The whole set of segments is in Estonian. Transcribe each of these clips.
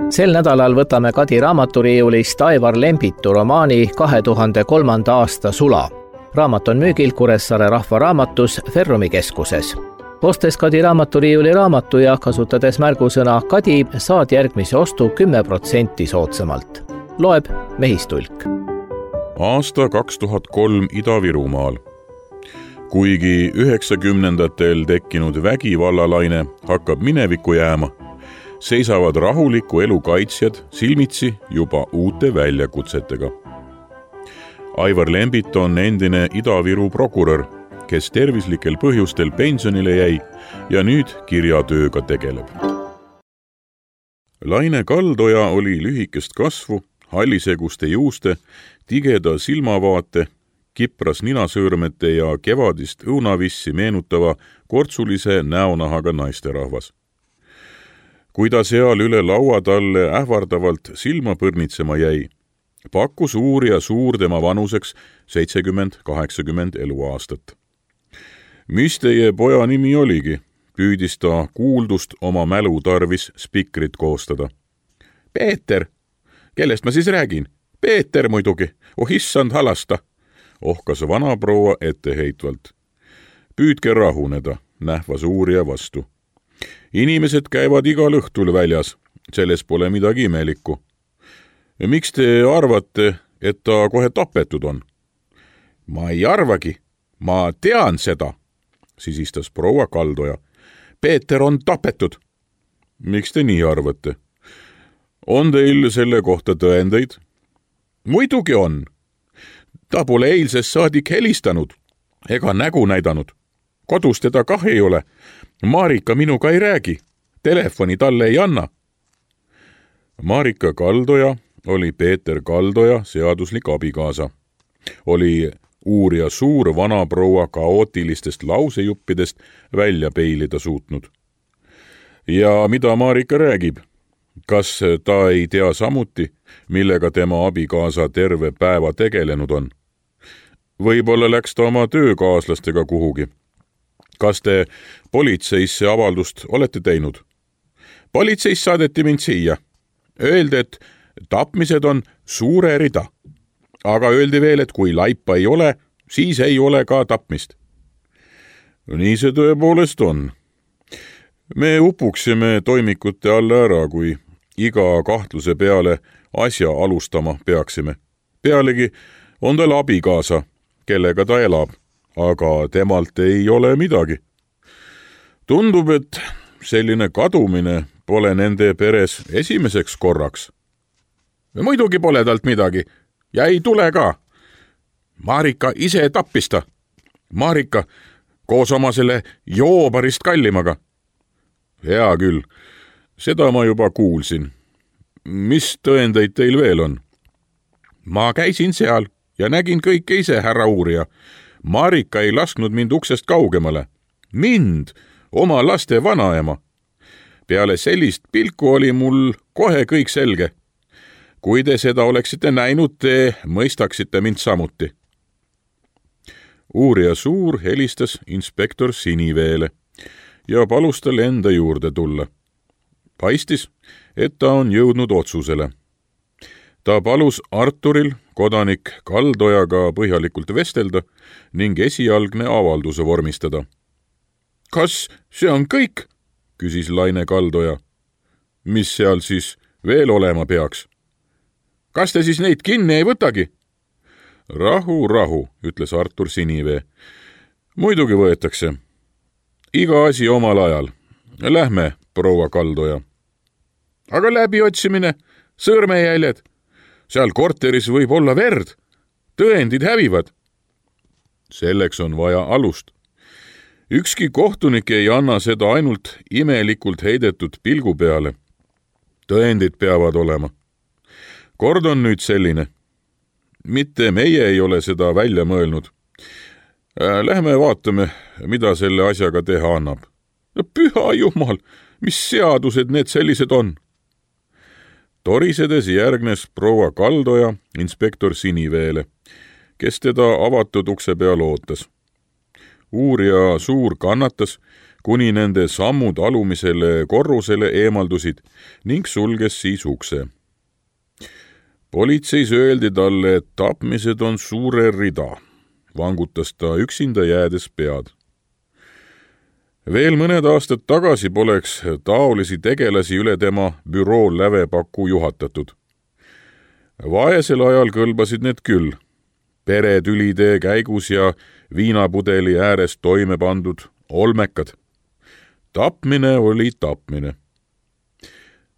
Sel nädalal võtame Kadi raamaturiiulist Aivar Lembitu romaani 2003. aasta Sula. Raamat on müügil Kuressaare Rahvaraamatus Ferrumi keskuses. Ostes Kadi raamaturiiuli raamatu ja kasutades märgusõna Kadi saad järgmise ostu 10% soodsamalt. Loeb Mehistulk. Aasta 2003 Ida-Virumaal. Kuigi 90-ndatel tekkinud vägivallalaine hakkab minevikku jääma, seisavad rahuliku elu kaitsjad silmitsi juba uute väljakutsetega. Aivar Lembit on endine Ida-Viru prokurör, kes tervislikel põhjustel pensionile jäi ja nüüd kirjatööga tegeleb. Laine Kaldoja oli lühikest kasvu, halliseguste juuste, tigeda silmavaate, kipras ninasõõrmete ja kevadist õunavissi meenutava kortsulise näonahaga naisterahvas. Kui ta seal üle laua talle ähvardavalt silma põrnitsema jäi, pakkus uurija suur tema vanuseks 70-80 eluaastat. Mis teie poja nimi oligi, püüdis ta kuuldust oma mälu tarvis spikrit koostada. Peeter! Kellest ma siis räägin? Peeter muidugi, issand halasta, ohkas vanaproua etteheitvalt. Püüdke rahuneda, nähvas uurija vastu. Inimesed käivad igal õhtul väljas, selles pole midagi imelikku. Miks te arvate, et ta kohe tapetud on? Ma ei arvagi, ma tean seda, sisistas proua Kaldoja. Peeter on tapetud. Miks te nii arvate? On teil selle kohta tõendeid? Muidugi on. Ta pole eilsest saadik helistanud ega nägu näidanud. Kodus teda kah ei ole. Marika minuga ei räägi. Telefoni talle ei anna. Marika Kaldoja oli Peeter Kaldoja seaduslik abikaasa. Oli uurija suur vanaproua kaootilistest lausejuppidest välja peilida suutnud. Ja mida Marika räägib? Kas ta ei tea samuti, millega tema abikaasa terve päeva tegelenud on? Võib-olla läks ta oma töökaaslastega kuhugi. Kas te politseisse avaldust olete teinud? Politseis saadeti mind siia. Öeldi, et tapmised on suure rida. Aga öeldi veel, et kui laipa ei ole, siis ei ole ka tapmist. Nii see tõepoolest on. Me upuksime toimikute alla ära, kui iga kahtluse peale asja alustama peaksime. Pealegi on tal abikaasa, kellega ta elab. Aga temalt ei ole midagi. Tundub, et selline kadumine pole nende peres esimeseks korraks. Muidugi pole talt midagi ja ei tule ka. Marika ise tappis ta. Marika koos oma selle joobarist kallimaga. Hea küll, seda ma juba kuulsin. Mis tõendeid teil veel on? Ma käisin seal ja nägin kõike ise, härra uurija. Marika ei lasknud mind uksest kaugemale. Mind, oma laste vanaema. Peale sellist pilku oli mul kohe kõik selge. Kui te seda oleksite näinud, te mõistaksite mind samuti. Uurija suur helistas inspektor Siniveele ja palus tal enda juurde tulla. Paistis, et ta on jõudnud otsusele. Ta palus Arturil kodanik Kaldojaga põhjalikult vestelda ning esialgne avalduse vormistada. Kas see on kõik? Küsis Laine Kaldoja. Mis seal siis veel olema peaks? Kas te siis neid kinni ei võtagi? Rahu, ütles Artur Sinivee. Muidugi võetakse. Iga asi omal ajal. Lähme, proua Kaldoja. Aga läbiotsimine, sõrmejäljed. Seal korteris võib olla verd. Tõendid hävivad. Selleks on vaja alust. Ükski kohtunik ei anna seda ainult imelikult heidetud pilgu peale. Tõendid peavad olema. Kord on nüüd selline. Mitte meie ei ole seda välja mõelnud. Lähme vaatame, mida selle asjaga teha annab. Püha jumal, mis seadused need sellised on? Torisedes järgnes proua Kaldoja inspektor Siniveele, kes teda avatud ukse peal ootas. Uurija suur kannatas, kuni nende sammud alumisele korrusele eemaldusid ning sulges siis ukse. Politseis öeldi talle, et tapmised on suure rida, vangutas ta üksinda jäädes pead. Veel mõned aastad tagasi poleks taolisi tegelasi üle tema büroo lävepaku juhatatud. Vaesel ajal kõlbasid need küll, peretülide käigus ja viinapudeli ääres toime pandud olmekad. Tapmine oli tapmine.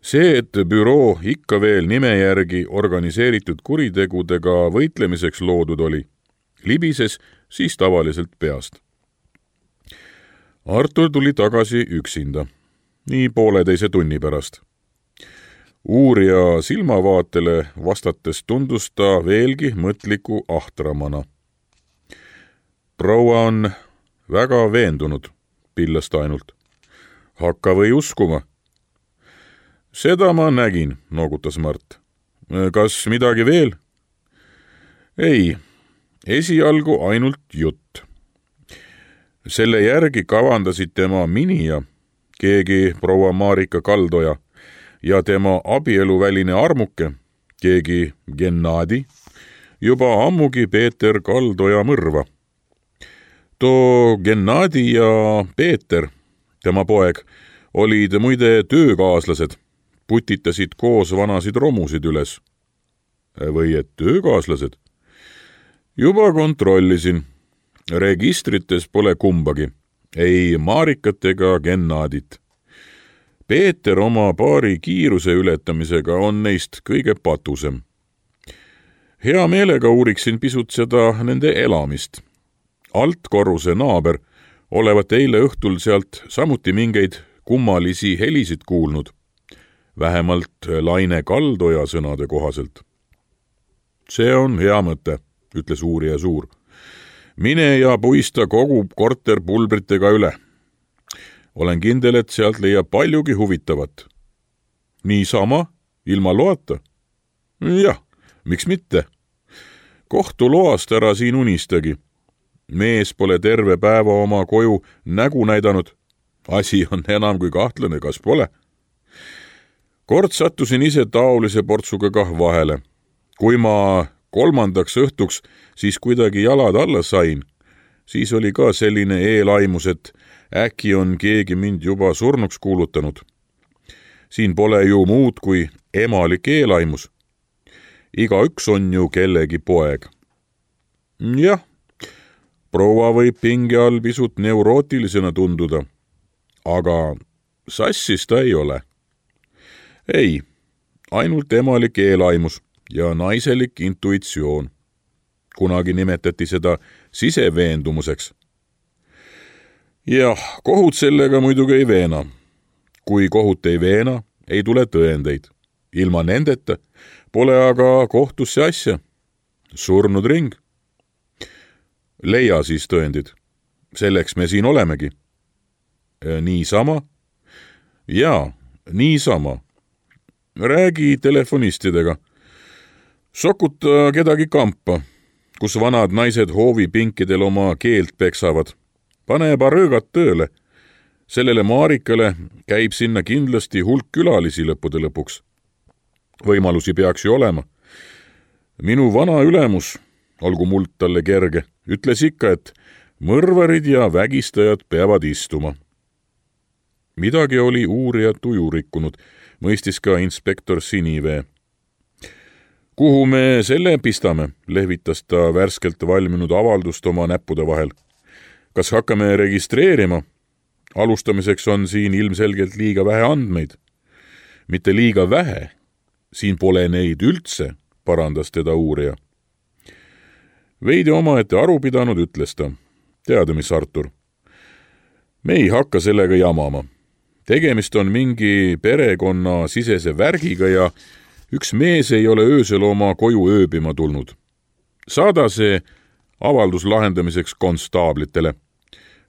See, et büroo ikka veel nime järgi organiseeritud kuritegudega võitlemiseks loodud oli, libises siis tavaliselt peast. Artur tuli tagasi üksinda, nii 1,5 tunni pärast. Uurija silmavaatele vastates tundus ta veelgi mõtliku ahtramana. Proua on väga veendunud, pillas ta ainult. Hakka või uskuma. Seda ma nägin, noogutas Mart. Kas midagi veel? Ei, esialgu ainult jutt. Selle järgi kavandasid tema minija, keegi proua Marika Kaldoja, ja tema abieluväline armuke, keegi Gennadi, juba ammugi Peeter Kaldoja mõrva. Too Gennadi ja Peeter, tema poeg, olid muide töökaaslased, putitasid koos vanasid romusid üles. Või et töökaaslased? Juba kontrollisin. Registrites pole kumbagi, ei Marikat ega Gennadit. Peeter oma paari kiiruse ületamisega on neist kõige patusem. Hea meelega uuriksin pisut seda nende elamist. Altkorruse naaber olevat eile õhtul sealt samuti mingeid kummalisi helisid kuulnud, vähemalt Laine Kaldoja sõnade kohaselt. See on hea mõte, ütles uurija Suur. Mine ja puista kogu korter pulbritega üle. Olen kindel, et sealt leiab paljugi huvitavat. Niisama, ilma loata? Jah, miks mitte? Kohtu loast ära siin unistagi. Mees pole terve päeva oma koju nägu näidanud. Asi on enam kui kahtlane, kas pole? Kord sattusin ise taolise portsuga kah vahele. Kui ma 3. õhtuks siis kuidagi jalad alla sain, siis oli ka selline eelaimus, et äkki on keegi mind juba surnuks kuulutanud. Siin pole ju muud kui emalik eelaimus. Igaüks on ju kellegi poeg. Jah, proua võib pinge all pisut neurootilisena tunduda, aga sassis ta ei ole. Ei, ainult emalik eelaimus ja naiselik intuitsioon. Kunagi nimetati seda siseveendumuseks. Jah, kohut sellega muidugi ei veena. Kui kohut ei veena, ei tule tõendeid. Ilma nendeta pole aga kohtusse asja. Surnud ring. Leia siis tõendid. Selleks me siin olemegi. Niisama? Jaa, niisama. Räägi telefonistidega. Sokuta kedagi kampa, kus vanad naised hoovipinkidel oma keelt peksavad. Pane parõõgad tööle. Sellele Marikale käib sinna kindlasti hulk külalisi lõppude lõpuks. Võimalusi peaks ju olema. Minu vana ülemus, olgu muld talle kerge, ütles ikka, et mõrvarid ja vägistajad peavad istuma. Midagi oli uurija tuju rikkunud, mõistis ka inspektor Sinivee. Kuhu me selle pistame, lehvitas ta värskelt valminud avaldust oma näppude vahel. Kas hakkame registreerima? Alustamiseks on siin ilmselgelt liiga vähe andmeid. Mitte liiga vähe. Siin pole neid üldse, parandas teda uurija. Veidi omaette aru pidanud, ütles ta. Teada, mis Artur? Me ei hakka sellega jamama. Tegemist on mingi perekonna sisese värgiga ja üks mees ei ole öösel oma koju ööbima tulnud. Saada see avaldus lahendamiseks konstaablitele.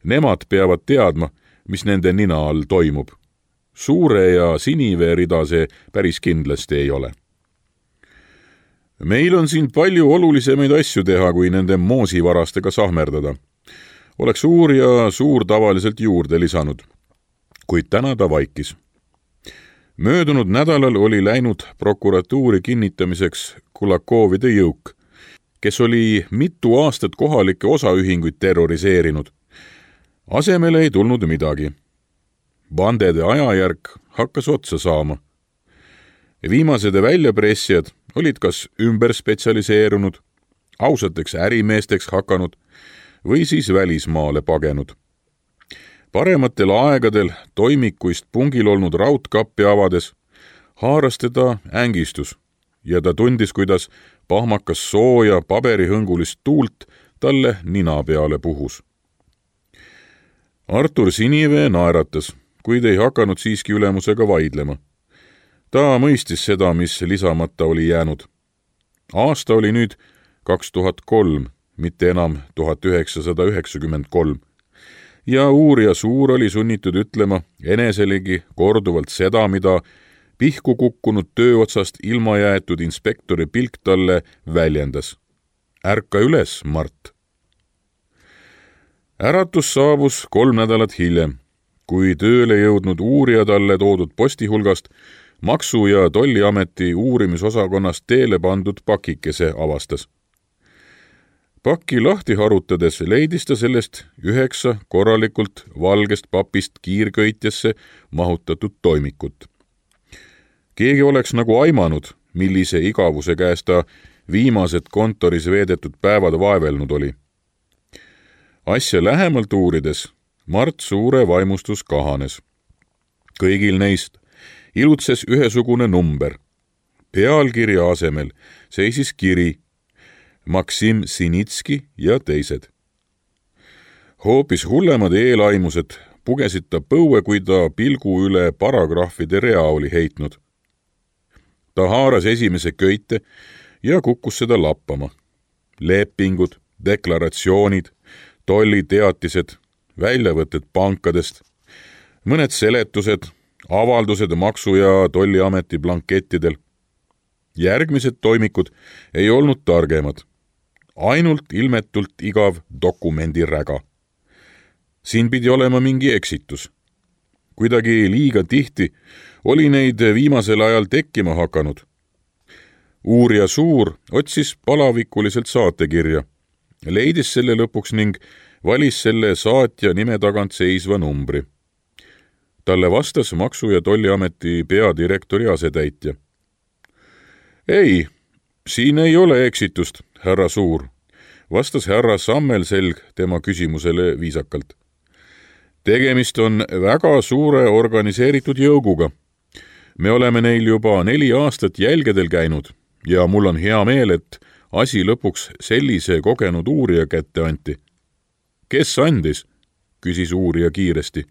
Nemad peavad teadma, mis nende nina all toimub. Suure ja Sinivee rida see päris kindlasti ei ole. Meil on siin palju olulisemaid asju teha, kui nende moosivarastega sahmerdada. oleks uurija Suur tavaliselt juurde lisanud, kuid täna ta vaikis. Möödunud nädalal oli läinud prokuratuuri kinnitamiseks Kulakovide jõuk, kes oli mitu aastat kohalikke osaühinguid terroriseerinud. Asemele ei tulnud midagi. Bandede ajajärk hakkas otsa saama. Viimased väljapressijad olid kas ümber spetsialiseerunud, ausateks ärimeesteks hakanud või siis välismaale pagenud. Parematel aegadel toimikuist pungil olnud raudkappi avades haaras teda ängistus ja ta tundis, kuidas pahmakas sooja paberihõngulist tuult talle nina peale puhus. Artur Sinivee naeratas, kuid ei hakanud siiski ülemusega vaidlema. Ta mõistis seda, mis lisamata oli jäänud. Aasta oli nüüd 2003, mitte enam 1993. Ja uurija Suur oli sunnitud ütlema eneselegi korduvalt seda, mida pihku kukkunud tööotsast ilma jäetud inspektori pilk talle väljendas. Ärka üles, Mart! Äratus saabus 3 nädalat hiljem, kui tööle jõudnud uurija talle toodud posti hulgast Maksu- ja Tolliameti uurimisosakonnast teele pandud pakikese avastas. Pakki lahti harutades leidis ta sellest 9 korralikult valgest papist kiirköitjasse mahutatud toimikut. Keegi oleks nagu aimanud, millise igavuse käes ta viimased kontoris veedetud päevad vaevelnud oli. Asja lähemalt uurides Mart Suure vaimustus kahanes. Kõigil neist ilutses ühesugune number. Pealkirja asemel seisis kiri Maksim Sinitski ja teised. Hoopis hullemad eelaimused pugesid ta põue, kui ta pilgu üle paragrahvide rea oli heitnud. Ta haaras esimese köite ja kukkus seda lappama. Lepingud, deklaratsioonid, tolliteatised, väljavõtted pankadest, mõned seletused, avaldused Maksu- ja Tolliameti blankettidel. Järgmised toimikud ei olnud targemad. Ainult ilmetult igav dokumendiräga. Siin pidi olema mingi eksitus. Kuidagi liiga tihti oli neid viimasel ajal tekkima hakanud. Uurija Suur otsis palavikuliselt saatekirja, leidis selle lõpuks ning valis selle saatja nime tagant seisva numbri. Talle vastas Maksu- ja Tolliameti peadirektori asetäitja. Ei, siin ei ole eksitust, härra Suur, vastas härra Sammelselg tema küsimusele viisakalt. Tegemist on väga suure organiseeritud jõuguga. Me oleme neil juba 4 aastat jälgedel käinud ja mul on hea meel, et asi lõpuks sellise kogenud uurija kätte anti. Kes andis? Küsis uurija kiiresti.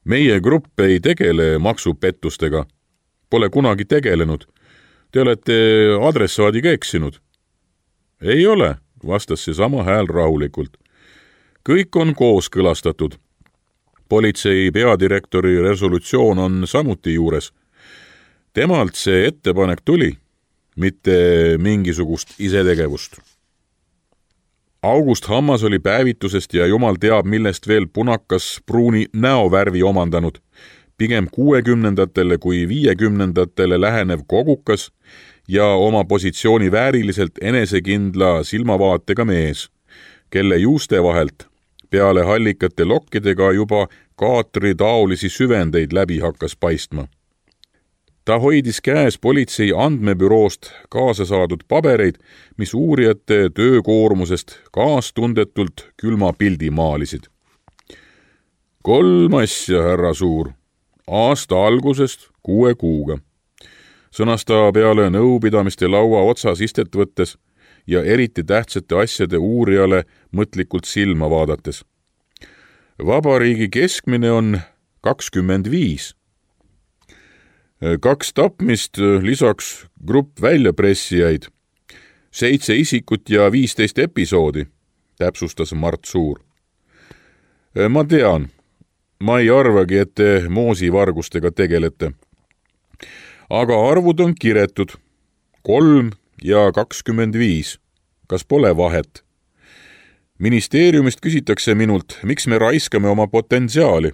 Meie grupp ei tegele maksupettustega. Pole kunagi tegelenud. Te olete adressaadiga eksinud. Ei ole, vastas see sama hääl rahulikult. Kõik on kooskõlastatud. Politsei peadirektori resolutsioon on samuti juures. Temalt see ettepanek tuli, mitte mingisugust isetegevust. August Hammas oli päevitusest ja jumal teab millest veel punakas pruuni näovärvi omandanud, pigem 60-ndatele kui 50-ndatele lähenev kogukas ja oma positsiooni vääriliselt enesekindla silmavaatega mees, kelle juuste vahelt peale hallikate lokkidega juba kaatri taolisi süvendeid läbi hakkas paistma. Ta hoidis käes politsei andmebüroost kaasa saadud pabereid, mis uurijate töökoormusest kaastundetult külma pildi maalisid. 3 asja, härra Suur, aasta algusest 6 kuuga. Sõnas ta peale nõupidamiste laua otsas istet võttes ja eriti tähtsate asjade uurijale mõtlikult silma vaadates. Vabariigi keskmine on 25. 2 tapmist, lisaks grupp väljapressijaid, 7 isikut ja 15 episoodi, täpsustas Mart Suur. Ma tean, ma ei arvagi, et te moosivargustega tegelete. Aga arvud on kiretud. 3 ja 25. Kas pole vahet? Ministeeriumist küsitakse minult, miks me raiskame oma potentsiaali,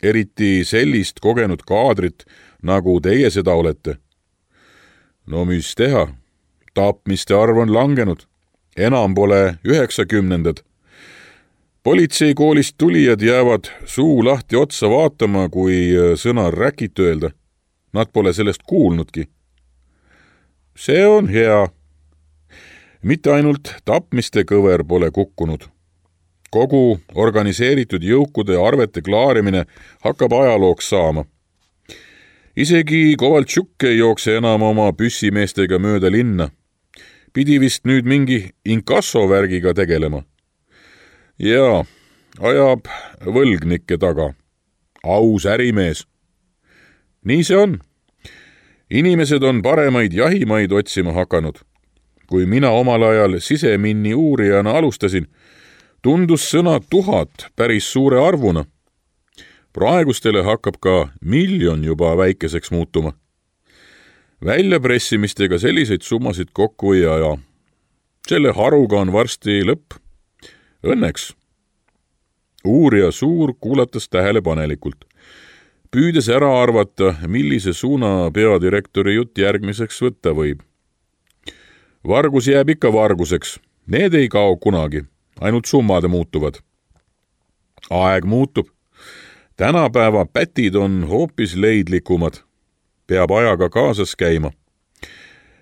eriti sellist kogenud kaadrit, nagu teie seda olete. No mis teha? Tapmiste arv on langenud. Enam pole 90-ndad. Politseikoolist tulijad jäävad suu lahti otsa vaatama, kui sõna räkit öelda. Nad pole sellest kuulnudki. See on hea. Mitte ainult tapmiste kõver pole kukkunud. Kogu organiseeritud jõukude arvete klaarimine hakkab ajalooks saama. Isegi Kovaltšuk ei jookse enam oma püssimeestega mööda linna. Pidi vist nüüd mingi inkassovärgiga tegelema. Ja ajab võlgnikke taga. Aus ärimees. Nii see on. Inimesed on paremaid jahimaid otsima hakanud. Kui mina omal ajal siseminni uurijana alustasin, tundus sõna 1000 päris suure arvuna. Praegustele hakkab ka 1 000 000 juba väikeseks muutuma. Väljapressimistega selliseid summasid kokku ei aja. Selle haruga on varsti lõpp. Õnneks. Uurija Suur kuulatas tähelepanelikult, püüdes ära arvata, millise suuna peadirektori jutt järgmiseks võtta võib. Vargus jääb ikka varguseks. Need ei kao kunagi, ainult summade muutuvad. Aeg muutub. Tänapäeva pätid on hoopis leidlikumad. Peab ajaga kaasas käima.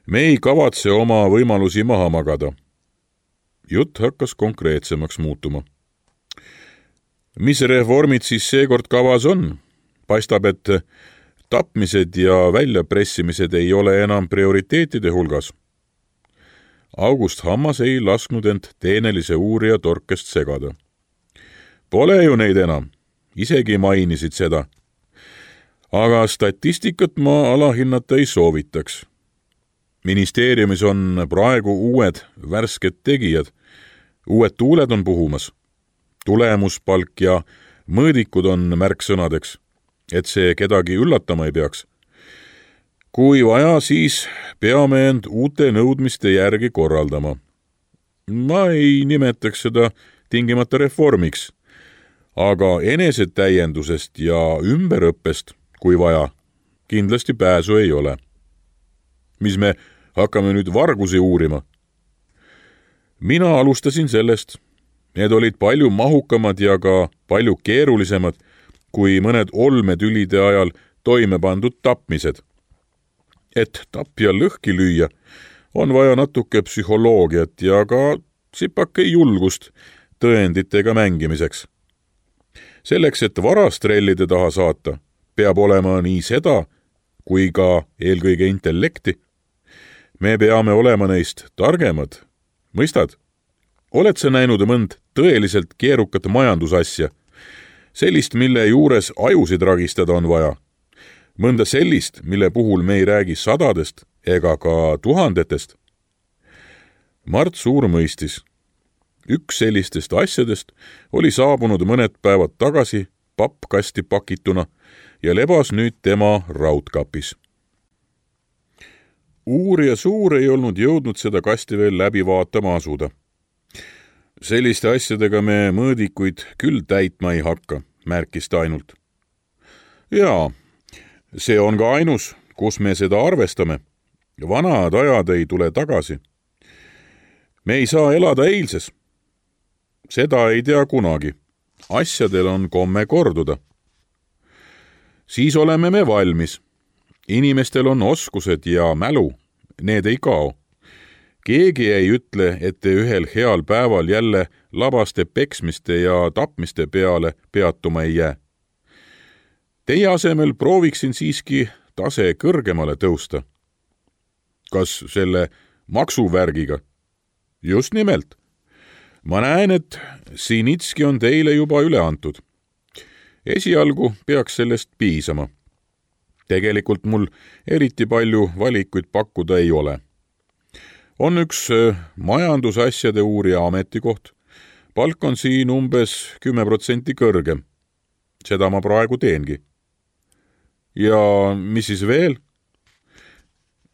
Me ei kavatse oma võimalusi maha magada. Jutt hakkas konkreetsemaks muutuma. Mis reformid siis seekord kavas on? Paistab, et tapmised ja väljapressimised ei ole enam prioriteetide hulgas. August Hammas ei lasknud end teenelise uurija torkest segada. Pole ju neid enam. Isegi mainisid seda. Aga statistikat ma alahinnata ei soovitaks. Ministeeriumis on praegu uued värsked tegijad. Uued tuuled on puhumas. Tulemuspalk ja mõõdikud on märksõnadeks, et see kedagi üllatama ei peaks. Kui vaja, siis peame end uute nõudmiste järgi korraldama. Ma ei nimetaks seda tingimata reformiks, aga enesetäiendusest ja ümberõppest, kui vaja, kindlasti pääsu ei ole. Mis me hakkame nüüd vargusi uurima? Mina alustasin sellest. Need olid palju mahukamad ja ka palju keerulisemad kui mõned olmetülide ajal toime pandud tapmised. Et tapja lõhki lüüa, on vaja natuke psühholoogiat ja ka sipake julgust tõenditega mängimiseks. Selleks, et varastrellide taha saata, peab olema nii seda kui ka eelkõige intellekti. Me peame olema neist targemad. Mõistad? Oled sa näinud mõnd tõeliselt keerukat majandusasja? Sellist, mille juures ajusid ragistada on vaja. Mõnda sellist, mille puhul me ei räägi 100 ega ka 1000. Mart Suur mõistis. Üks sellistest asjadest oli saabunud mõned päevad tagasi pappkasti pakituna ja lebas nüüd tema raudkapis. Uurija Suur ei olnud jõudnud seda kasti veel läbi vaatama asuda. Selliste asjadega me mõõdikuid küll täitma ei hakka, märkis ta ainult. Jaa, see on ka ainus, kus me seda arvestame. Vanad ajad ei tule tagasi. Me ei saa elada eilses. Seda ei tea kunagi. Asjadel on komme korduda. Siis oleme me valmis. Inimestel on oskused ja mälu. Need ei kao. Keegi ei ütle, et te ühel heal päeval jälle labaste peksmiste ja tapmiste peale peatuma ei jää. Teie asemel prooviksin siiski tase kõrgemale tõusta. Kas selle maksuvärgiga? Just nimelt. Ma näen, et Sinitski on teile juba üle antud. Esialgu peaks sellest piisama. Tegelikult mul eriti palju valikuid pakkuda ei ole. On üks majandusasjade uurija ametikoht. Palk on siin umbes 10% kõrgem. Seda ma praegu teengi. Ja mis siis veel?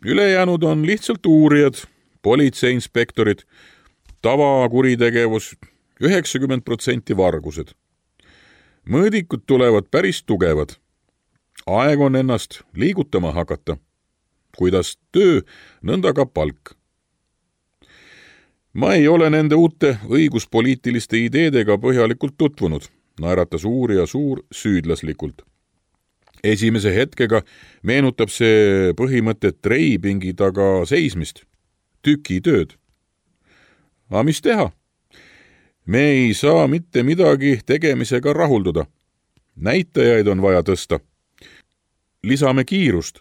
Ülejäänud on lihtsalt uurijad, politseiinspektorid, tavakuritegevus, 90% vargused. Mõõdikud tulevad päris tugevad. Aeg on ennast liigutama hakata. Kuidas töö, nõnda ka palk. Ma ei ole nende uute õiguspoliitiliste ideedega põhjalikult tutvunud, naeratas uurija suur süüdlaslikult. Esimese hetkega meenutab see põhimõte treipingi taga seismist, tükitööd. Aga mis teha? Me ei saa mitte midagi tegemisega rahulduda. Näitajaid on vaja tõsta. Lisame kiirust.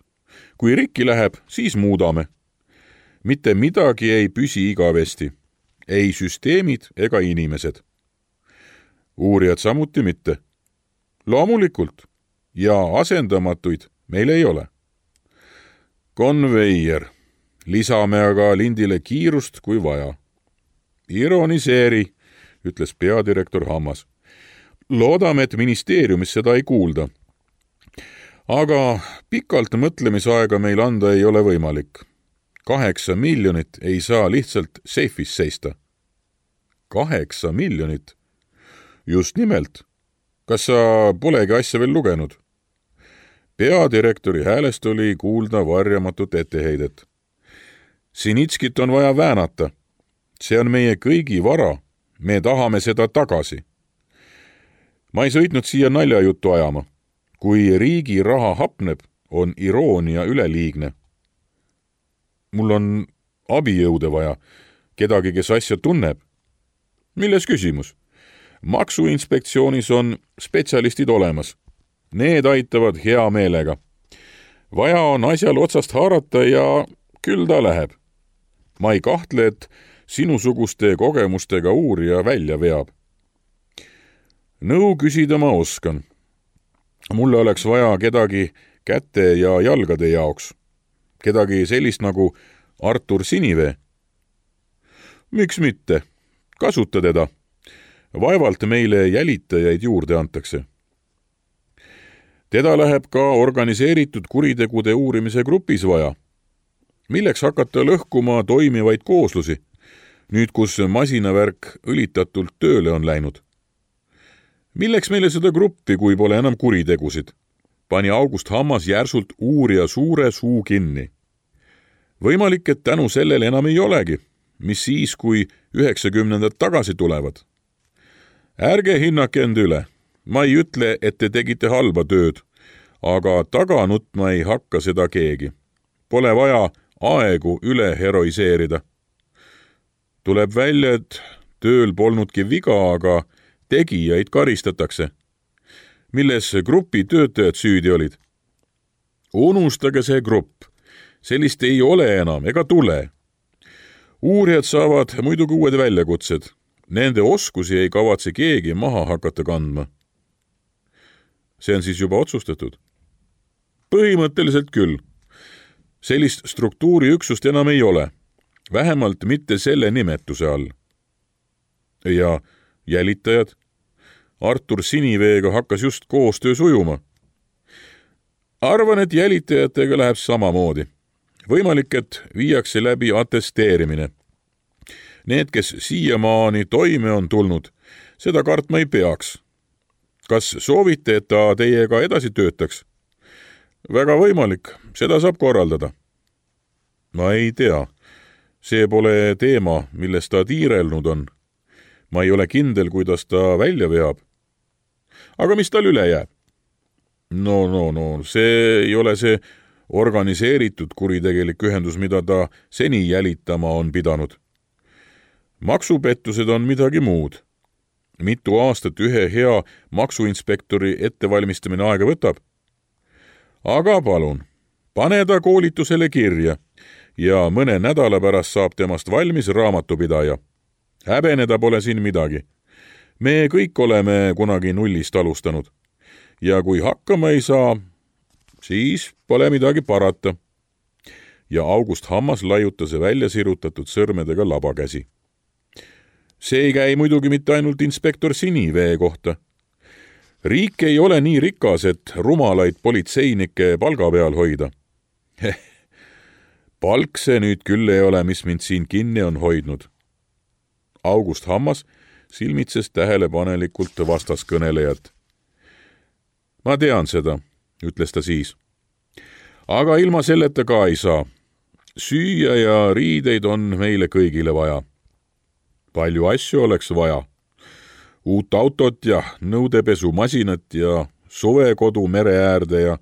Kui rikki läheb, siis muudame. Mitte midagi ei püsi igavesti. Ei süsteemid ega inimesed. Uurijad samuti mitte. Loomulikult. Ja asendamatuid meil ei ole. Konveier. Lisame aga lindile kiirust kui vaja. Ironiseeri, ütles peadirektor Hammas. Loodame, et ministeeriumis seda ei kuulda. Aga pikalt mõtlemisaega meil anda ei ole võimalik. 8 miljonit ei saa lihtsalt seifis seista. 8 miljonit? Just nimelt. Kas sa polegi asja veel lugenud? Peadirektori häälest oli kuulda varjamatut etteheidet. Sinitskit on vaja väänata. See on meie kõigi vara. Me tahame seda tagasi. Ma ei sõitnud siia naljajuttu ajama. Kui riigi raha hapneb, on iroonia üleliigne. Mul on abijõude vaja, kedagi, kes asja tunneb. Milles küsimus? Maksuinspektsioonis on spetsialistid olemas. Need aitavad hea meelega. Vaja on asjal otsast haarata ja küll ta läheb. Ma ei kahtle, et sinusuguste kogemustega uurija välja veab. Nõu küsida ma oskan. Mulle oleks vaja kedagi käte ja jalgade jaoks. Kedagi sellist nagu Artur Sinivee. Miks mitte? Kasuta teda. Vaevalt meile jälitajaid juurde antakse. Teda läheb ka organiseeritud kuritegude uurimise grupis vaja. Milleks hakata lõhkuma toimivaid kooslusi, nüüd kus masinavärk õlitatult tööle on läinud? Milleks meile seda gruppi, kui pole enam kuritegusid? Pani August Hammas järsult uurija suure suu kinni. Võimalik, et tänu sellele enam ei olegi, mis siis, kui 90-ndad tagasi tulevad. Ärge hinnake end üle. Ma ei ütle, et te tegite halba tööd, aga taga nutma ei hakka seda keegi. Pole vaja aegu üle heroiseerida. Tuleb välja, et tööl polnudki viga, aga tegijaid karistatakse. Milles grupi töötajad süüdi olid? Unustage see grupp. Sellist ei ole enam ega tule. Uurijad saavad muidugi uued väljakutsed. Nende oskusi ei kavatse keegi maha hakata kandma. See on siis juba otsustatud? Põhimõtteliselt küll. Sellist struktuuriüksust enam ei ole. Vähemalt mitte selle nimetuse all. Ja jälitajad? Artur Siniveega hakkas just koostöö sujuma. Arvan, et jälitajatega läheb samamoodi. Võimalik, et viiakse läbi atesteerimine. Need, kes siiamaani toime on tulnud, seda kartma ei peaks. Kas soovite, et ta teiega edasi töötaks? Väga võimalik, seda saab korraldada. Ma ei tea. See pole teema, millest ta tiirelnud on. Ma ei ole kindel, kuidas ta välja veab. Aga mis tal üle jääb? No, see ei ole see organiseeritud kuritegelik ühendus, mida ta seni jälitama on pidanud. Maksupettused on midagi muud. Mitu aastat ühe hea maksuinspektori ettevalmistamine aega võtab? Aga palun, pane ta koolitusele kirja ja mõne nädala pärast saab temast valmis raamatupidaja. Häbeneda pole siin midagi. Me kõik oleme kunagi nullist alustanud. Ja kui hakkama ei saa, siis pole midagi parata. Ja August Hammas laiutas välja sirutatud sõrmedega labakäsi. See ei käi muidugi mitte ainult inspektor Sinivee kohta. Riik ei ole nii rikas, et rumalaid politseinikke palga peal hoida. Palk see nüüd küll ei ole, mis mind siin kinni on hoidnud. August Hammas silmitses tähelepanelikult vastaskõnelejat. Ma tean seda, ütles ta siis. Aga ilma selleta ka ei saa. Süüa ja riideid on meile kõigile vaja. Palju asju oleks vaja. Uut autot ja nõudepesumasinat ja suvekodu mere äärde ja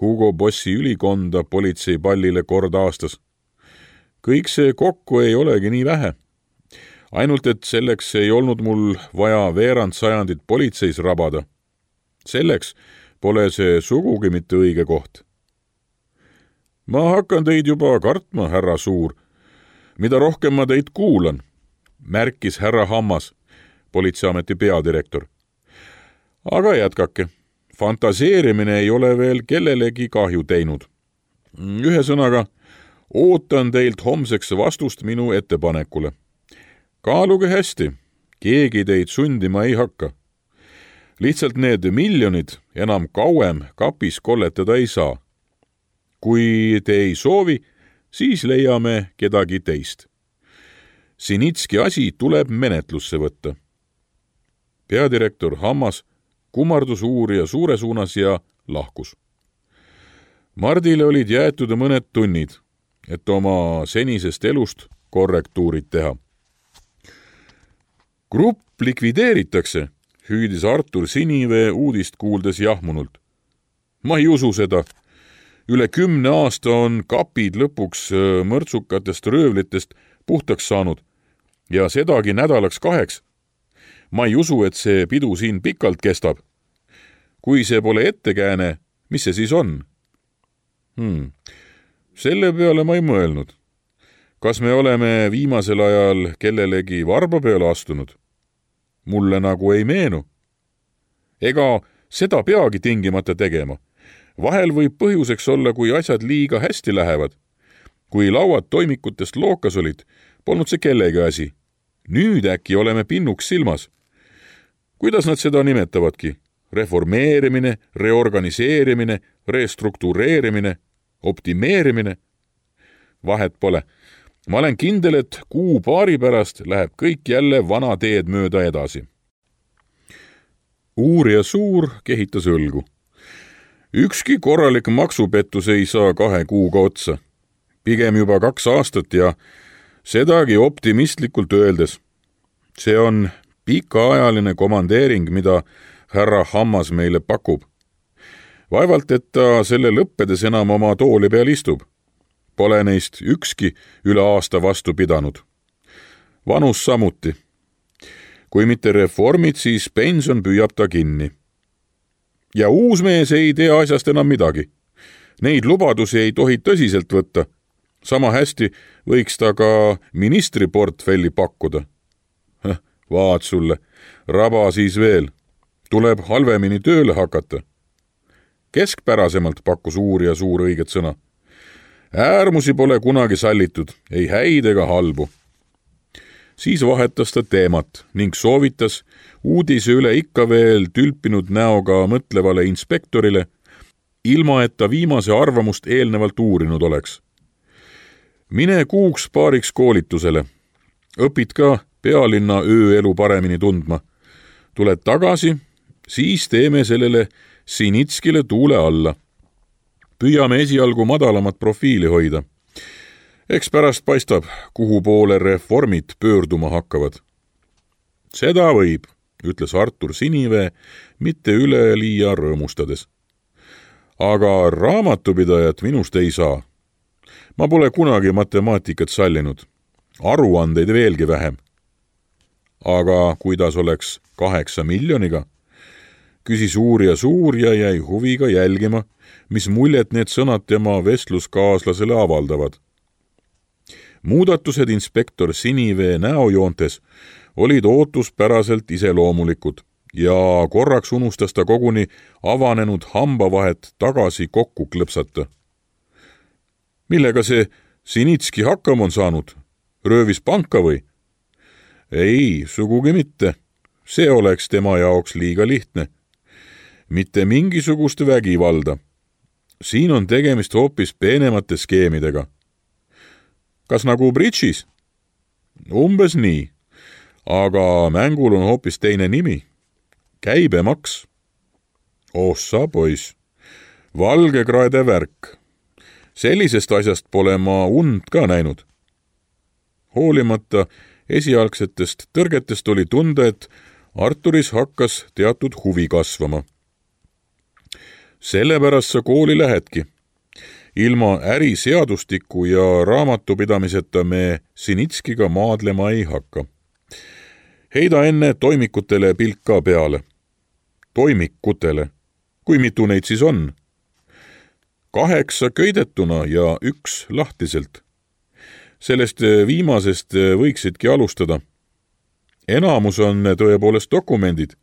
Hugo Bossi ülikonda politseipallile kord aastas. Kõik see kokku ei olegi nii vähe. Ainult, et selleks ei olnud mul vaja veerand sajandit politseis rabada. Selleks pole see sugugi mitte õige koht. Ma hakkan teid juba kartma, härra Suur. Mida rohkem ma teid kuulan, märkis härra Hammas, politseiameti peadirektor. Aga jätkake. Fantaseerimine ei ole veel kellelegi kahju teinud. Ühesõnaga, ootan teilt homseks vastust minu ettepanekule. Kaaluge hästi, keegi teid sundima ei hakka. Lihtsalt need miljonid enam kauem kapis kolletada ei saa. Kui te ei soovi, siis leiame kedagi teist. Sinitski asi tuleb menetlusse võtta. Peadirektor Hammas kummardus uurija suure suunas ja lahkus. Mardile olid jäetud mõned tunnid, et oma senisest elust korrektuurid teha. Grupp likvideeritakse, hüüdis Artur Sinivee uudist kuuldes jahmunult. Ma ei usu seda. Üle 10 aasta on kapid lõpuks mõrtsukatest röövlitest puhtaks saanud ja sedagi nädalaks 2. Ma ei usu, et see pidu siin pikalt kestab. Kui see pole ettekääne, mis see siis on? Selle peale ma ei mõelnud. Kas me oleme viimasel ajal kellelegi varba peale astunud? Mulle nagu ei meenu. Ega seda peagi tingimata tegema. Vahel võib põhjuseks olla, kui asjad liiga hästi lähevad. Kui lauad toimikutest lookas olid, polnud see kellegi asi. Nüüd äkki oleme pinnuks silmas. Kuidas nad seda nimetavadki? Reformeerimine, reorganiseerimine, restruktureerimine, optimeerimine? Vahet pole. Ma olen kindel, et kuu-paari pärast läheb kõik jälle vana teed mööda edasi. Uurija Suur kehitas õlgu. Ükski korralik maksupettus ei saa 2 kuuga otsa. Pigem juba 2 aastat ja sedagi optimistlikult öeldes. See on pikaajaline komandeering, mida härra Hammas meile pakub. Vaevalt, et ta selle lõppedes enam oma tooli peal istub. Pole neist ükski üle aasta vastu pidanud. Vanus samuti. Kui mitte reformid, siis pension püüab ta kinni. Ja uus mees ei tea asjast enam midagi. Neid lubadusi ei tohi tõsiselt võtta. Sama hästi võiks ta ka ministriportfelli pakkuda. Vaat sulle, raba siis veel. Tuleb halvemini tööle hakata. Keskpärasemalt pakkus uurija Suur õiget sõna. Äärmusi pole kunagi sallitud, ei häid ega halbu. Siis vahetas ta teemat ning soovitas uudise üle ikka veel tülpinud näoga mõtlevale inspektorile, ilma et ta viimase arvamust eelnevalt uurinud oleks. Mine 2-paariks koolitusele. Õpid ka pealinna ööelu paremini tundma. Tuled tagasi, siis teeme sellele Sinitskile tuule alla. Püüame esialgu madalamat profiili hoida. Eks pärast paistab, kuhu poole reformid pöörduma hakkavad. Seda võib, ütles Artur Sinivee, mitte üleliia rõõmustades. Aga raamatupidajat minust ei saa. Ma pole kunagi matemaatikat sallinud. Aruandeid veelgi vähem. Aga kuidas oleks 8 miljoniga? Küsis uurija Suur ja jäi huviga jälgima, mis muljet need sõnad tema vestluskaaslasele avaldavad. Muudatused inspektor Sinivee näojoontes olid ootuspäraselt iseloomulikud ja korraks unustas ta koguni avanenud hambavahet tagasi kokku klõpsata. Millega see Sinitski hakkam on saanud? Röövis panka või? Ei, sugugi mitte. See oleks tema jaoks liiga lihtne. Mitte mingisugust vägivalda. Siin on tegemist hoopis peenemate skeemidega. Kas nagu bridžis? Umbes nii. aga mängul on hoopis teine nimi. Käibemaks. Ossa poiss, valgekraede värk. Sellisest asjast pole ma und ka näinud. Hoolimata esialgsetest tõrgetest oli tunda, et Arturis hakkas teatud huvi kasvama. Sellepärast sa kooli lähedki. Ilma äriseadustiku ja raamatupidamiseta me Sinitskiga maadlema ei hakka. Heida enne toimikutele pilk ka peale. Toimikutele. Kui mitu neid siis on? 8 köidetuna ja 1 lahtiselt. Sellest viimasest võiksidki alustada. Enamus on tõepoolest dokumendid,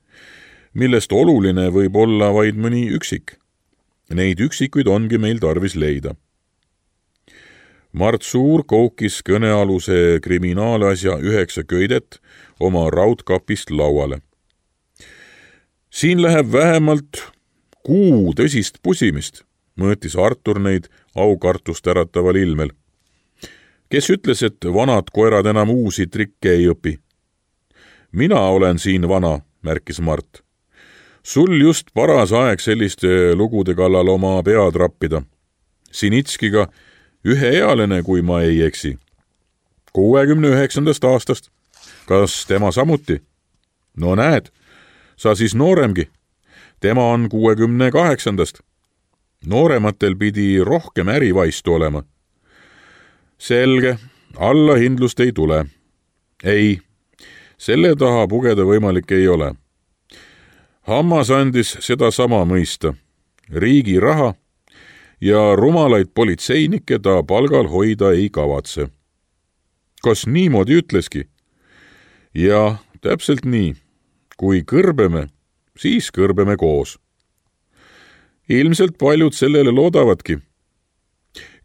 millest oluline võib olla vaid mõni üksik. Neid üksikuid ongi meil tarvis leida. Mart Suur koukis kõnealuse kriminaalasja 9 köidet oma raudkapist lauale. Siin läheb vähemalt 6 tõsist pusimist, mõõtis Artur neid aukartust ärataval ilmel. Kes ütles, et vanad koerad enam uusi trikke ei õpi? Mina olen siin vana, märkis Mart. Sul just paras aeg selliste lugude kallal oma pead rappida. Sinitskiga üheealine, kui ma ei eksi. 69. aastast. Kas tema samuti? No näed, sa siis nooremgi. Tema on 68. Noorematel pidi rohkem ärivaistu olema. Selge, allahindlust ei tule. Ei, selle taha pugeda võimalik ei ole. Hammas andis seda sama mõista. Riigi raha ja rumalaid politseinikke ta palgal hoida ei kavatse. Kas niimoodi ütleski? Ja, täpselt nii. Kui kõrbeme, siis kõrbeme koos. Ilmselt paljud sellele loodavadki.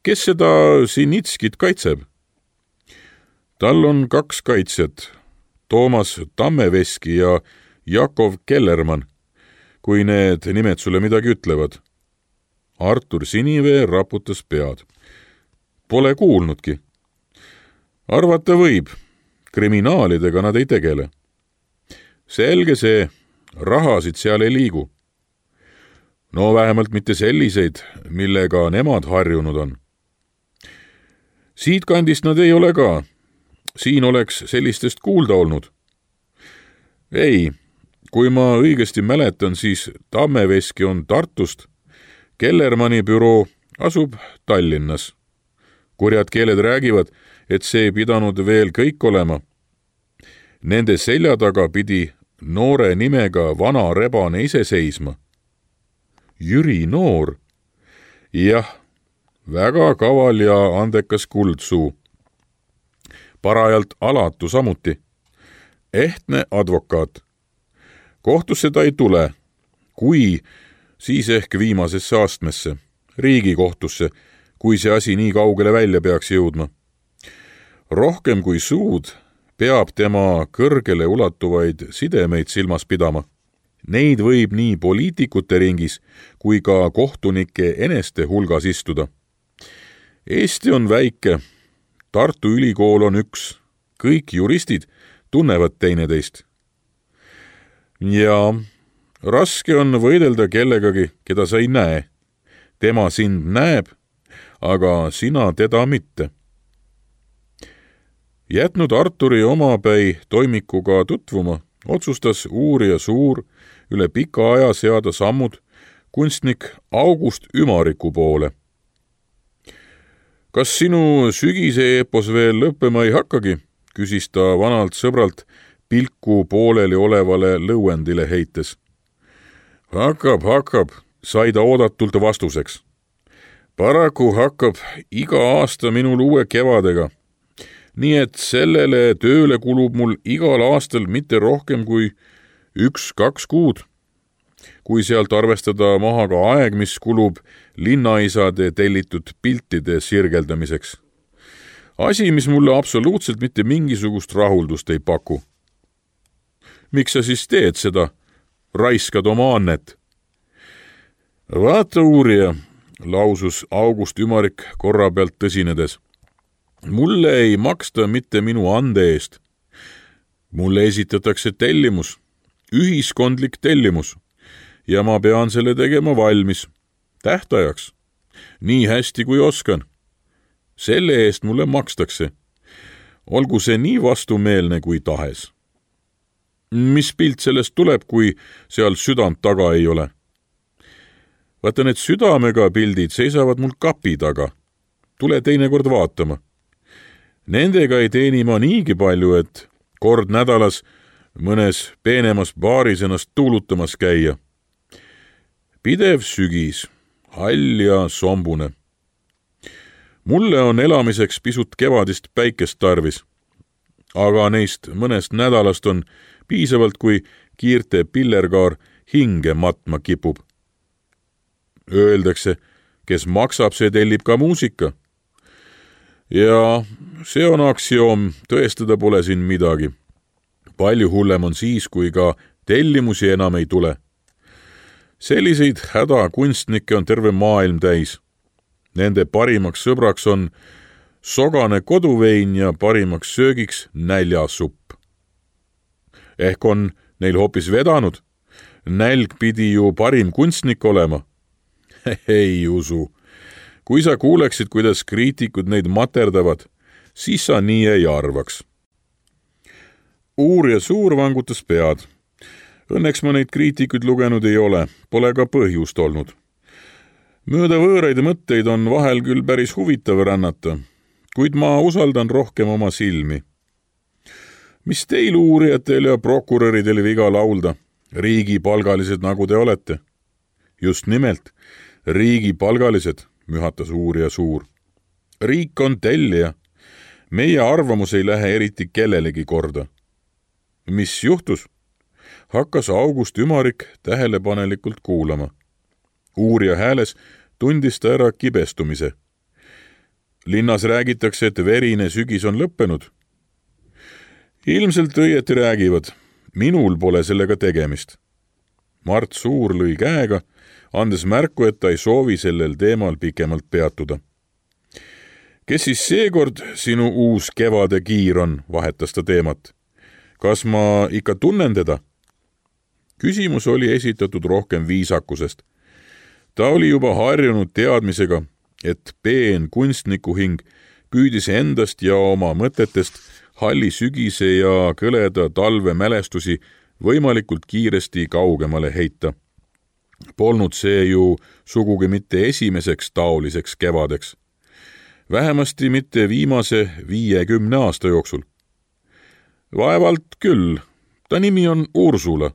Kes seda Sinitskit kaitseb? Tal on 2 kaitsjat, Toomas Tammeveski ja Jakov Kellermann, kui need nimed sulle midagi ütlevad. Artur Sinivee raputas pead. Pole kuulnudki. Arvata võib, kriminaalidega nad ei tegele. Selge see, rahasid seal ei liigu. No vähemalt mitte selliseid, millega nemad harjunud on. Siit kandist nad ei ole ka. Siin oleks sellistest kuulda olnud. Ei, kui ma õigesti mäletan, siis Tammeveski on Tartust, Kellermanni büroo asub Tallinnas. Kurjad keeled räägivad, et see ei pidanud veel kõik olema. Nende selja taga pidi noore nimega vana rebane ise seisma. Jüri Noor. Jah, väga kaval ja andekas kuldsuu. Parajalt alatu samuti. Ehtne advokaat. Kohtusse ta ei tule, kui siis ehk viimasesse astmesse, Riigikohtusse, kui see asi nii kaugele välja peaks jõudma. Rohkem kui suud peab tema kõrgele ulatuvaid sidemeid silmas pidama. Neid võib nii poliitikute ringis kui ka kohtunike eneste hulgas istuda. Eesti on väike, Tartu Ülikool on 1, kõik juristid tunnevad teineteist. Ja raske on võidelda kellegagi, keda sa ei näe. Tema sind näeb, aga sina teda mitte. Jätnud Arturi omapäi toimikuga tutvuma, otsustas uurija Suur üle pika aja seada sammud kunstnik August Ümariku poole. Kas sinu sügise eepos veel lõppema ei hakkagi, küsis ta vanalt sõbralt pilku pooleli olevale lõuendile heites. Hakkab, sai ta oodatult vastuseks. Paraku hakkab iga aasta minul uue kevadega. Nii et sellele tööle kulub mul igal aastal mitte rohkem kui 1-2 kuud. Kui sealt arvestada maha ka aeg, mis kulub linnaisade tellitud piltide sirgeldamiseks. Asi, mis mulle absoluutselt mitte mingisugust rahuldust ei paku. Miks sa siis teed seda? Raiskad oma annet. Vaata uurija, lausus August Ümarik korra pealt tõsinedes. Mulle ei maksta mitte minu ande eest. mulle esitatakse tellimus, ühiskondlik tellimus, ja ma pean selle tegema valmis, tähtajaks, nii hästi kui oskan. Selle eest mulle makstakse, olgu see nii vastumeelne kui tahes. Mis pilt sellest tuleb, kui seal südant taga ei ole? Vaata, need südamega pildid seisavad mul kapi taga. Tule teinekord vaatama. Nendega ei teeni ma niigi palju, et kord nädalas mõnes peenemas baaris ennast tuulutamas käia. Pidev sügis, hall ja sombune. Mulle on elamiseks pisut kevadist päikest tarvis, aga neist mõnest nädalast on piisavalt, kui kiirte pillerkaar hinge matma kipub. Öeldakse, kes maksab, see tellib ka muusika. Ja see on aktsioom, tõestada pole siin midagi. Palju hullem on siis, kui ka tellimusi enam ei tule. Selliseid hädakunstnikke on terve maailm täis. Nende parimaks sõbraks on sogane koduvein ja parimaks söögiks näljasupp. Ehk on neil hoopis vedanud. Nälg pidi ju parim kunstnik olema. Ei usu. Kui sa kuuleksid, kuidas kriitikud neid materdavad, siis sa nii ei arvaks. Uurija Suur vangutas pead. Õnneks ma neid kriitikuid lugenud ei ole, pole ka põhjust olnud. Mööda võõraid mõtteid on vahel küll päris huvitav rännata, kuid ma usaldan rohkem oma silmi. Mis teil uurijatel ja prokuröridel viga laulda, riigipalgalised nagu te olete? Just nimelt, riigipalgalised, mühatas Uurija Suur. Riik on tellija. Meie arvamus ei lähe eriti kellelegi korda. Mis juhtus? Hakkas August Ümarik tähelepanelikult kuulama. Uurija hääles tundis ta ära kibestumise. Linnas räägitakse, et verine sügis on lõppenud. Ilmselt õieti räägivad. Minul pole sellega tegemist. Mart Suur lõi käega, andes märku, et ta ei soovi sellel teemal pikemalt peatuda. Kes siis seekord sinu uus kevade kiir on, vahetas ta teemat. Kas ma ikka tunnen teda? Küsimus oli esitatud rohkem viisakusest. Ta oli juba harjunud teadmisega, et peen kunstnikuhing püüdis endast ja oma mõtetest halli sügise ja kõleda talve mälestusi võimalikult kiiresti kaugemale heita. Polnud see ju sugugi mitte esimeseks taoliseks kevadeks. Vähemasti mitte viimase 50 aasta jooksul. Vaevalt küll, ta nimi on Ursula.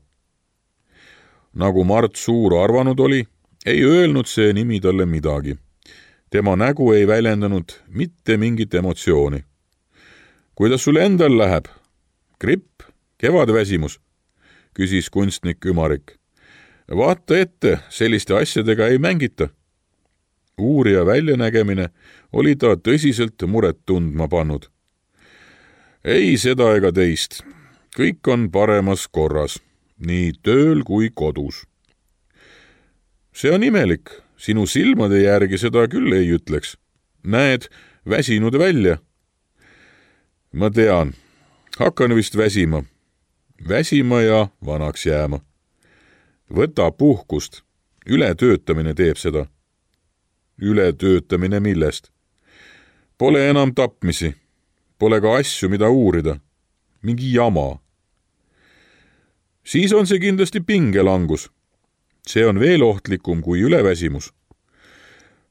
Nagu Mart Suur arvanud oli, ei öelnud see nimi talle midagi. Tema nägu ei väljendanud mitte mingit emotsiooni. Kuidas sul endal läheb? Gripp? Kevadväsimus? Küsis kunstnik Ümarik. Vaata ette, selliste asjadega ei mängita. Uurija väljanägemine oli ta tõsiselt muret tundma pannud. Ei seda ega teist. Kõik on paremas korras, nii tööl kui kodus. See on imelik, sinu silmade järgi seda küll ei ütleks. Näed, väsinud välja. Ma tean, hakkan vist väsima. Väsima ja vanaks jääma. Võta puhkust, ületöötamine teeb seda. Ületöötamine millest? Pole enam tapmisi, pole ka asju, mida uurida. Mingi jama. Siis on see kindlasti pingelangus. See on veel ohtlikum kui üleväsimus.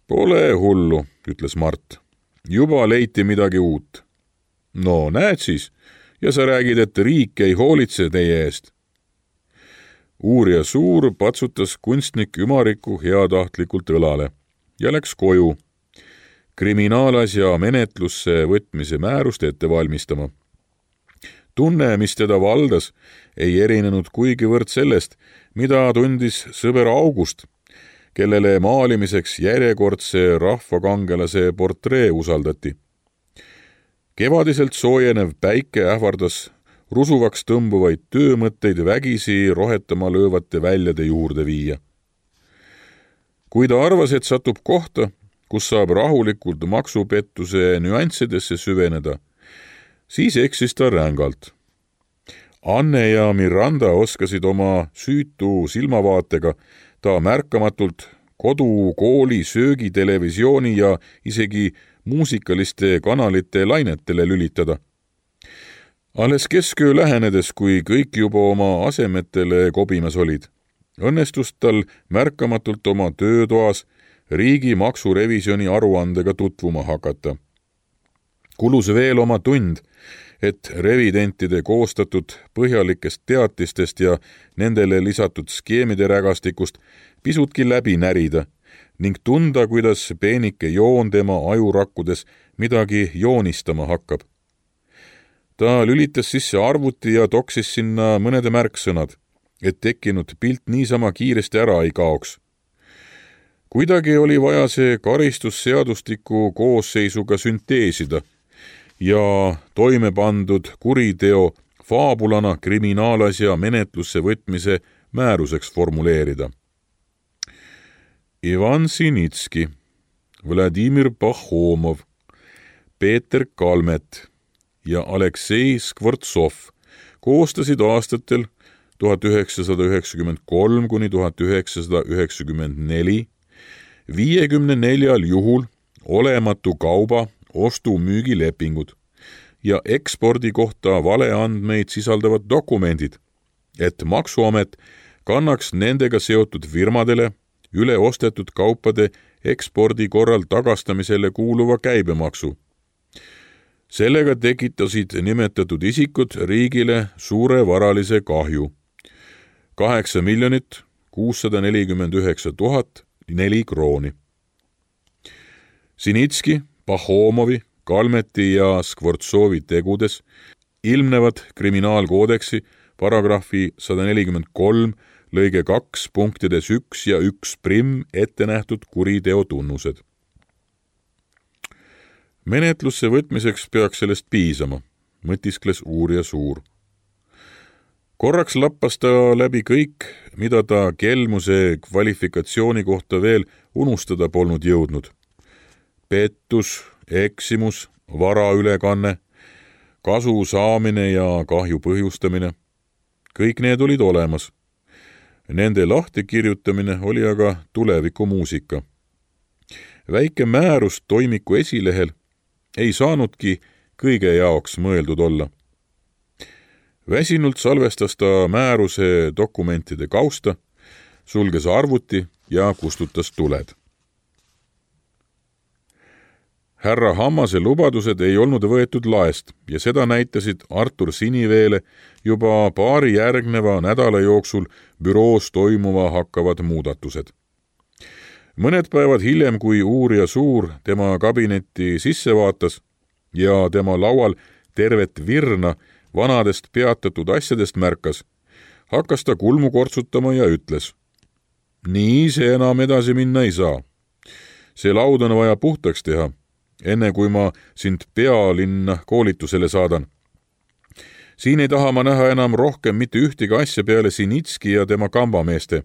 Pole hullu, ütles Mart. Juba leiti midagi uut. No näed siis, ja sa räägid, et riik ei hoolitse teie eest. Uurija Suur patsutas kunstnik Ümariku heatahtlikult õlale ja läks koju kriminaalasja menetlusse võtmise määrust ette valmistama. Tunne, mis teda valdas, ei erinenud kuigivõrd sellest, mida tundis sõber August, kellele maalimiseks järjekordse rahvakangelase portree usaldati. Kevadiselt soojenev päike ähvardas rusuvaks tõmbuvaid töömõtteid vägisi rohetama löövate väljade juurde viia. Kui ta arvas, et satub kohta, kus saab rahulikult maksupettuse nüanssidesse süveneda, siis eksis ta rängalt. Anne ja Miranda oskasid oma süütu silmavaatega ta märkamatult kodu, kooli, söögi, televisiooni ja isegi muusikaliste kanalite lainetele lülitada. Alles kesköö lähenedes, kui kõik juba oma asemetele kobimas olid, õnnestus tal märkamatult oma töötoas riigi maksurevisjoni aruandega tutvuma hakata. Kulus veel oma tund, et revidentide koostatud põhjalikest teatistest ja nendele lisatud skeemide rägastikust pisutki läbi närida ning tunda, kuidas peenike joon tema ajurakkudes midagi joonistama hakkab. Ta lülitas sisse arvuti ja toksis sinna mõnede märksõnad, et tekkinud pilt niisama kiiresti ära ei kaoks. Kuidagi oli vaja see karistusseadustiku koosseisuga sünteesida ja toime pandud kuriteo faabulana kriminaalasja menetlusse võtmise määruseks formuleerida. Ivan Sinitski, Vladimir Pahomov, Peeter Kalmet ja Aleksei Skvortsov koostasid aastatel 1993 kuni 1994 54 juhul olematu kauba ostu-müügilepingud ja ekspordi kohta valeandmeid sisaldavad dokumendid, et Maksuamet kannaks nendega seotud firmadele üle ostetud kaupade ekspordi korral tagastamisele kuuluva käibemaksu. Sellega tekitasid nimetatud isikud riigile suure varalise kahju. 8 649 004 krooni. Sinitski, Pahomovi, Kalmeti ja Skvortsovi tegudes ilmnevad kriminaalkoodeksi paragrahvi 143 lõige 2 punktides 1 ja 1' ette nähtud kuriteo tunnused. Menetlusse võtmiseks peaks sellest piisama, mõtiskles uurija Suur. Korraks lappas ta läbi kõik, mida ta kelmuse kvalifikatsiooni kohta veel unustada polnud jõudnud. Pettus, eksimus, varaülekanne, kasu saamine ja kahju põhjustamine. Kõik need olid olemas. Nende lahtikirjutamine oli aga tulevikumuusika. Väike määrus toimiku esilehel ei saanudki kõige jaoks mõeldud olla. Väsinult salvestas ta määruse dokumentide kausta, sulges arvuti ja kustutas tuled. Härra Hammase lubadused ei olnud võetud laest ja seda näitasid Artur Siniveele juba paari järgneva nädala jooksul büroos toimuva hakkavad muudatused. Mõned päevad hiljem, kui uurija Suur tema kabinetti sisse vaatas ja tema laual tervet virna vanadest peatatud asjadest märkas, hakkas ta kulmu kortsutama ja ütles: nii see enam edasi minna ei saa. See laud on vaja puhtaks teha, enne kui ma sind pealinna koolitusele saadan. Siin ei taha ma näha enam rohkem mitte ühtegi asja peale Sinitski ja tema kambameeste.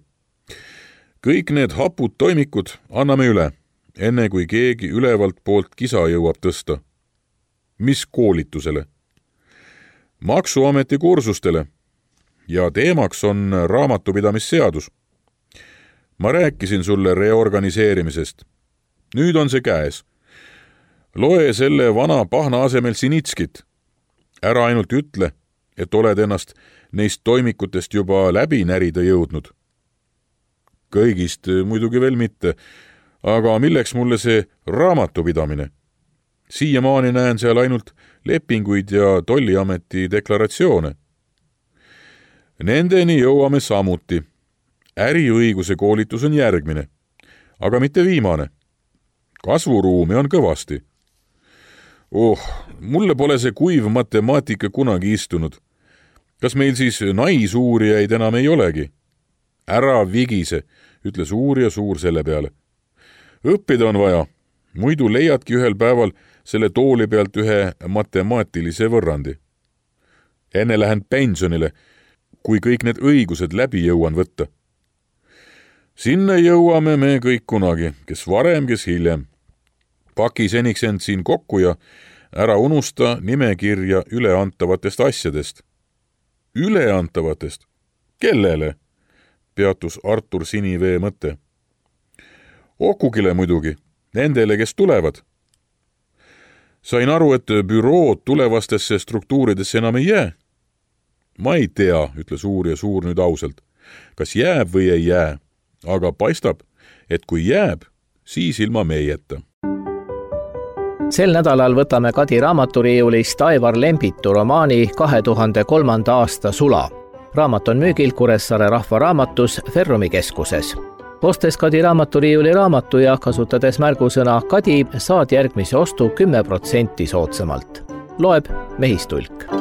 Kõik need hapud toimikud anname üle, enne kui keegi ülevalt poolt kisa jõuab tõsta. Mis koolitusele? Maksuameti kursustele ja teemaks on raamatupidamisseadus. Ma rääkisin sulle reorganiseerimisest. Nüüd on see käes. Loe selle vana pahna asemel Sinitskit. Ära ainult ütle, et oled ennast neist toimikutest juba läbi närida jõudnud. Kõigist muidugi veel mitte, aga milleks mulle see raamatupidamine? Siiamaani näen seal ainult lepinguid ja tolliameti deklaratsioone. Nendeni jõuame samuti. Äriõiguse koolitus on järgmine, aga mitte viimane. Kasvuruumi on kõvasti. Mulle pole see kuiv matemaatika kunagi istunud. Kas meil siis naisuurijaid enam ei olegi? Ära vigise, ütles uurija Suur selle peale. Õppida on vaja, muidu leiadki ühel päeval selle tooli pealt ühe matemaatilise võrrandi. Enne lähen pensionile, kui kõik need õigused läbi jõuan võtta. Sinna jõuame me kõik kunagi, kes varem, kes hiljem. Paki seniks end siin kokku ja ära unusta nimekirja üleantavatest asjadest. üleantavatest? Kellele? Peatus Artur Sinivee mõte. Okukile muidugi, nendele, kes tulevad. Sain aru, et bürood tulevastesse struktuuridesse enam ei jää. Ma ei tea, ütles uurija Suur nüüd ausalt, kas jääb või ei jää, aga paistab, et kui jääb, siis ilma meieta. Sel nädalal võtame Kadi raamaturiiulist Aivar Lembitu romaani 2003. aasta Sula. Raamat on müügil Kuressaare Rahvaraamatus Ferrumi keskuses. Ostes Kadi raamaturiiuli raamatu ja kasutades märgusõna Kadi, saad järgmise ostu 10% soodsamalt. Loeb Mehistulk.